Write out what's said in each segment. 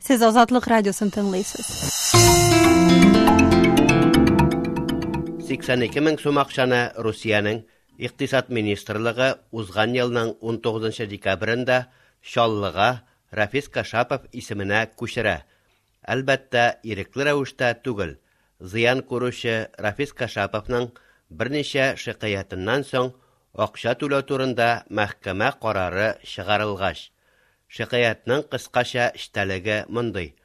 Сез Азатлык радиосын тыңлыйсыз. 82 мең сум акчаны Русиянең Икътисад министрлыгы узган елның 19 декабрендә Чаллыга Рафис Кашапов исеменә күчерә. Әлбәттә, ирекле рәвештә түгел. Зыян күрүче Рафис Кашаповның берничә шикаятеннән соң акча түләү турында мәхкәмә карары чыгарылгач. Шикаятьнең кыскача эчтәлеге мондый: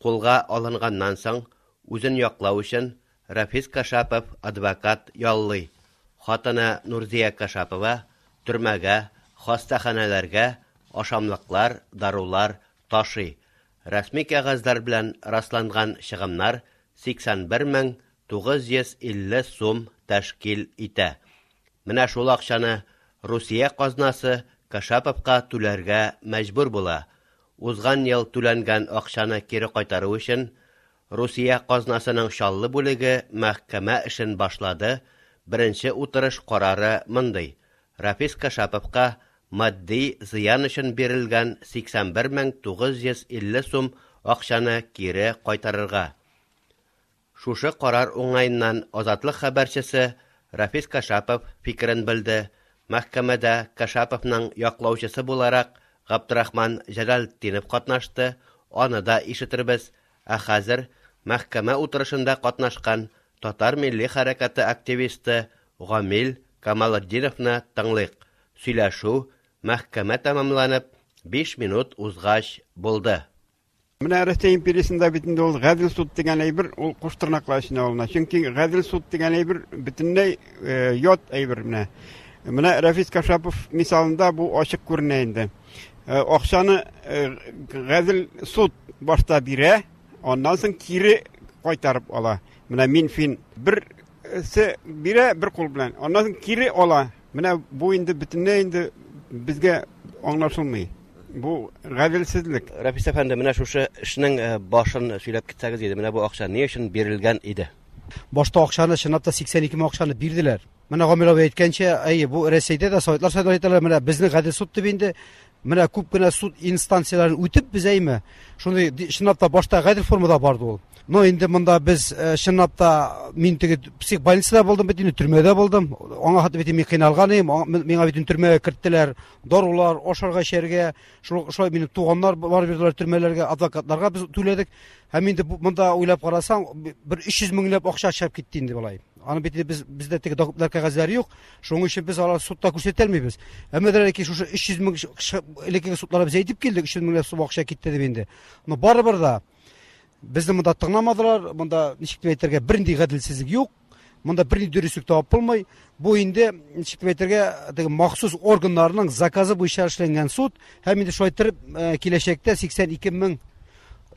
кулга алынганнан соң, үзен яклау өчен Рафис Кашапов адвокат яллый. Хатыны Нурзия Кашапова төрмәгә, хастаханәләргә ашамлыклар, дарулар ташый. Рәсми кәгазьләр белән расланган чыгымнар 81 мең 950 сум тәшкил итә. Менә шул акчаны Русия казнасы Кашаповка түләргә мәҗбүр була. Узган ел түләнгән акчаны кире кайтару өчен Русия казнасының Чаллы бүлеге мәхкәмә эшен башлады, беренче утырыш карары мондый: Рафис Кашаповка матди зыян өчен бирелгән 81 мең 950 сум акчаны кире кайтарырга. Шушы карар уңаеннан Азатлык хәбәрчесе Рафис Кашапов фикерен белде. Мәхкәмәдә Кашаповның яклаучысы буларак Габдрахман Җәләлтдинов катнашты, аны да ишетербез. Ә хәзер мәхкәмә утырышында катнашкан татар милли хәрәкәте активисты Гамил Камалетдиновны тыңлыйк. Сөйләшү мәхкәмә тәмамланып, 5 минут узгач булды. Менә Россия империясендә бит инде ул гадел суд дигән әйбер, ул куш тырнаклар эченә алына. Чөнки гадел суд дигән әйбер бөтенләй ят әйбер менә. Менә Рафис Кашапов мисалында бу ачык күренә инде. Акчаны гадел суд башта бирә, аннан соң кире кайтарып ала. Менә Минфин берсе бирә бер кул белән, аннан соң кире ала. Менә бу инде бөтенләй инде безгә аңлашылмый. Бу гаделсезлек. Рафис әфәнде, менә шушы эшнең башын сөйләп китсәгез иде. Менә бу акча ни өчен бирелгән иде? Башта акчаны, чынлап та 82 мең акчаны бирделәр. Менә Гамил абый әйткәнчә, әйе, бу Рәсәйдә дә советлар союзында әйтәләр, менә безнең гадел суд дип инде, менә күп кенә суд инстанцияләрен үтеп без әйме, шундый чынлап та башта гадел формада барды ул. Но инде монда без чынлап та мин теге психбольницада булдым бит инде, төрмәдә булдым. Аңа хәтле бит мин кыйналган идем, миңа бит төрмәгә керттеләр, дарулар, ашарга, эчәргә, шулай минем туганнар барып йөрделәр төрмәләргә, адвокатларга без түләдек. Һәм инде монда уйлап карасаң, бер 300 меңләп акча чыгып китте инде болай. Аны бит инде бездә теге документлар кәгазьләре юк, шуның өчен без алар судта күрсәтә алмыйбыз. Әмма дә ләкин шушы 300 мең элеккеге судларда без әйтеп килдек, 300 меңләп сум акча китте дип инде. Но барыбер да безне монда тыңламадылар, монда ничек дип әйтергә, бернинди гаделсезлек юк. Монда бернинди дөреслек табып булмый. Бу инде ничек дип әйтергә, теге махсус органнарның заказы буенча эшләнгән суд. Һәм инде шулай итеп, киләчәктә 82 мең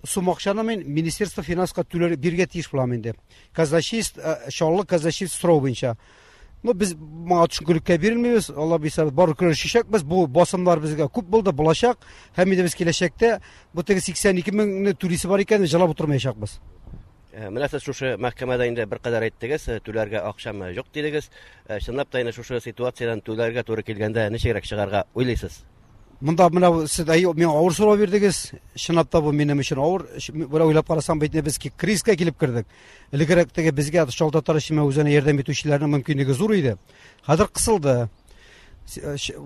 сум акчаны мин Министерство финанска түләр бирергә тиеш булам инде. Казначейство, Чаллы казначейство сорау буенча. Ну, без моңа төшенкелеккә бирелмибез. Алла бирсә, бары көрәшәчәкбез. Бу басымнар безгә күп булды, булачак. Һәм инде без киләчәктә бу теге 82 меңне түлисе бар икән, җылап утырмаячакбыз. Менә сез шушы мәхкәмәдә инде беркадәр әйттегез, түләргә акчам юк дидегез. Чынлап та инде шушы ситуациядән түләргә туры килгәндә ничегрәк чыгарга уйлыйсыз? Монда менә сез әй, миңа авыр сорау бирдегез. Чынлап та бу минем өчен авыр. Бер уйлап карасаң, бит без кризиска килеп кердек. Элегрәк теге безгә Чаллы татар эчемә үзенә ярдәм итүчеләрнең мөмкинлеге зур иде. Хәзер кысылды.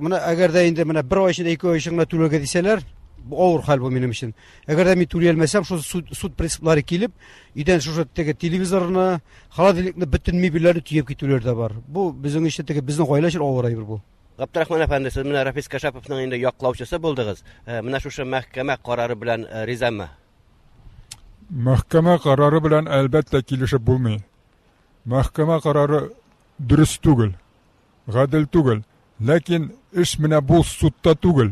Менә әгәр дә инде менә бер ай эчендә, ике ай эчендә түләргә дисәләр, бу авыр хәл бу минем өчен. Әгәр дә мин түли алмасам, шул суд принциплары килеп, өйдән шушы теге телевизорны, холодильникны, бөтен мебельләрне төяп китүләр дә бар. Бу безнең өчен теге безнең гаилә өчен авыр әйбер бу. Габдрахман әфәнде, сез менә Рафис Кашаповның инде яклаучысы булдыгыз. Менә шушы мәхкәмә карары белән ризамы? Мәхкәмә карары белән әлбәттә килешеп булмый. Мәхкәмә карары дөрес түгел, гадел түгел. Ләкин эш менә бу судта түгел.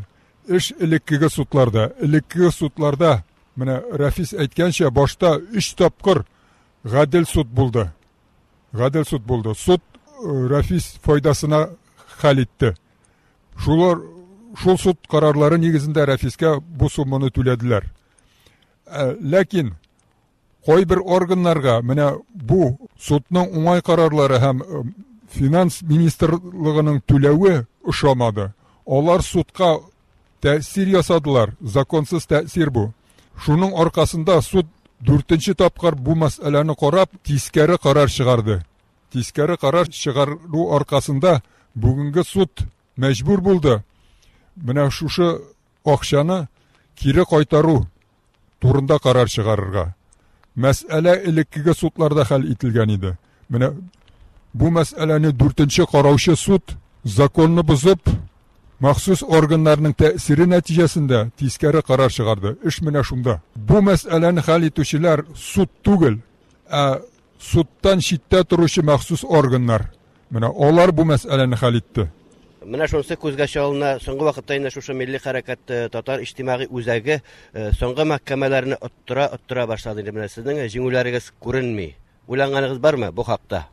Эш элеккеге судларда. Элеккеге судларда, менә Рафис әйткәнчә, башта 3 тапкыр гадел суд булды. Гадел суд булды. Суд Рафис файдасына хәл итте. Шул суд карарлары нигезендә Рафискә бу сумманы түләделәр. Ләкин кайбер органнарга менә бу судның уңай карарлары һәм финанс министрлыгының түләве ошамады. Алар судка тәэсир ясадылар, законсыз тәэсир бу. Шуның аркасында суд дүртенче тапкыр бу мәсьәләне карап, тискәре карар чыгарды. Тискәре карар чыгару аркасында бүгенге суд мәҗбүр булды менә шушы акчаны кире кайтару турында карар чыгарырга. Мәсьәлә элеккеге судларда хәл ителгән иде. Менә бу мәсьәләне дүртенче караучы суд законны бозып, махсус органнарның тәэсире нәтиҗәсендә тискәре карар чыгарды. Эш менә шунда. Бу мәсьәләне хәл итүчеләр суд түгел, ә судтан читтә торучы махсус органнар. Менә алар бу мәсьәләне хәл итте. Менә шунысы күзгә чалына, соңгы вакытта инде шушы милли хәрәкәт татар иҗтимагый үзәге соңгы мәхкәмәләрне оттыра-оттыра башлады инде. Менә сезнең җиңүләрегез күренми. Уйланганыгыз бармы бу хакта?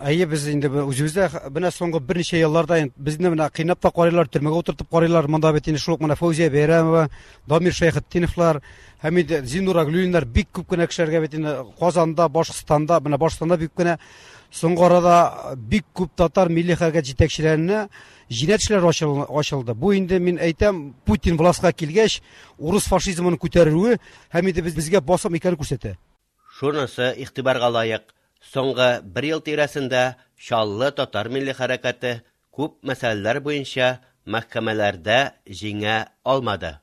Әйе, без инде үзебез дә менә соңгы берничә елларда инде безне менә кыйнап та карыйлар, төрмәгә утыртып карыйлар. Монда бит инде шул ук менә Фәүзия Бәйрәмова, Дамир Шәйхетдиновлар һәм инде Зиннур Аглюлиннар бик күп кенә кешеләргә бит инде Казанда, Башкортстанда, менә Башкортстанда бик кенә соңгы арада бик күп татар милли хәрәкәт җитәкчеләренә җинаять эшләре ачылды. Бу инде мин әйтәм, Путин властька килгәч, урыс фашизмын күтәрүе һәм инде безгә басым икәнен күрсәтә. Шунысы игътибарга лаек, соңгы бер ел тирәсендә Чаллы татар милли хәрәкәте күп мәсьәләләр буенча мәхкәмәләрдә җиңә алмады.